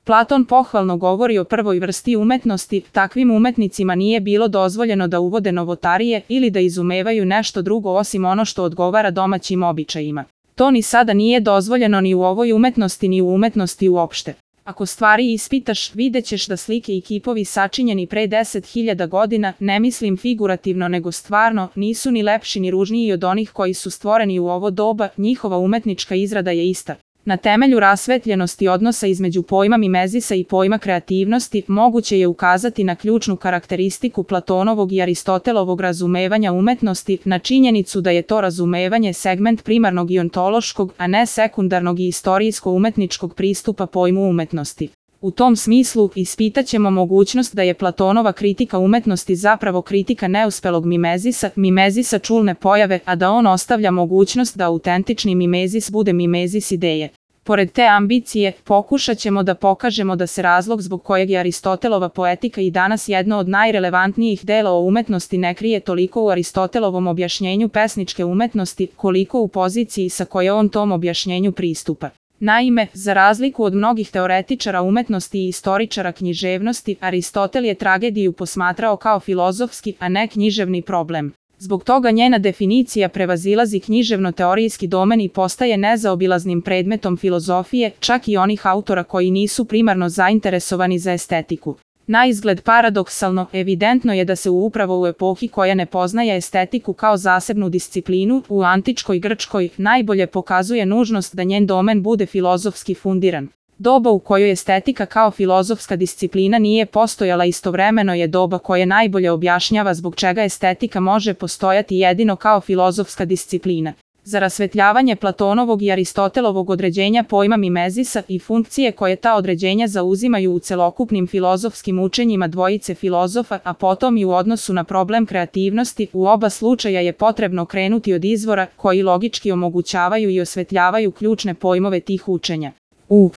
Platon pohvalno govori o prvoj vrsti umetnosti, takvim umetnicima nije bilo dozvoljeno da uvode novotarije ili da izumevaju nešto drugo osim ono što odgovara domaćim običajima. To ni sada nije dozvoljeno ni u ovoj umetnosti ni u umetnosti uopšte. Ako stvari ispitaš, vidjet ćeš da slike i kipovi sačinjeni pre 10.000 godina, ne mislim figurativno nego stvarno, nisu ni lepši ni ružniji od onih koji su stvoreni u ovo doba, njihova umetnička izrada je ista. Na temelju rasvetljenosti odnosa između pojma mimezisa i pojma kreativnosti, moguće je ukazati na ključnu karakteristiku Platonovog i Aristotelovog razumevanja umetnosti, na činjenicu da je to razumevanje segment primarnog i ontološkog, a ne sekundarnog i istorijsko-umetničkog pristupa pojmu umetnosti. U tom smislu, ispitaćemo mogućnost da je Platonova kritika umetnosti zapravo kritika neuspelog mimezisa čulne pojave, a da on ostavlja mogućnost da autentični mimezis bude mimezis ideje. Pored te ambicije, pokušat ćemo da pokažemo da se razlog zbog kojeg je Aristotelova poetika i danas jedno od najrelevantnijih dela o umetnosti ne krije toliko u Aristotelovom objašnjenju pesničke umetnosti, koliko u poziciji sa koje on tom objašnjenju pristupa. Naime, za razliku od mnogih teoretičara umetnosti i istoričara književnosti, Aristotel je tragediju posmatrao kao filozofski, a ne književni problem. Zbog toga njena definicija prevazilazi književno-teorijski domen i postaje nezaobilaznim predmetom filozofije, čak i onih autora koji nisu primarno zainteresovani za estetiku. Naizgled paradoksalno, evidentno je da se upravo u epohi koja ne poznaje estetiku kao zasebnu disciplinu, u antičkoj Grčkoj, najbolje pokazuje nužnost da njen domen bude filozofski fundiran. Doba u kojoj estetika kao filozofska disciplina nije postojala istovremeno je doba koje najbolje objašnjava zbog čega estetika može postojati jedino kao filozofska disciplina. Za rasvetljavanje Platonovog i Aristotelovog određenja pojma mimezisa i funkcije koje ta određenja zauzimaju u celokupnim filozofskim učenjima dvojice filozofa, a potom i u odnosu na problem kreativnosti, u oba slučaja je potrebno krenuti od izvora koji logički omogućavaju i osvetljavaju ključne pojmove tih učenja. U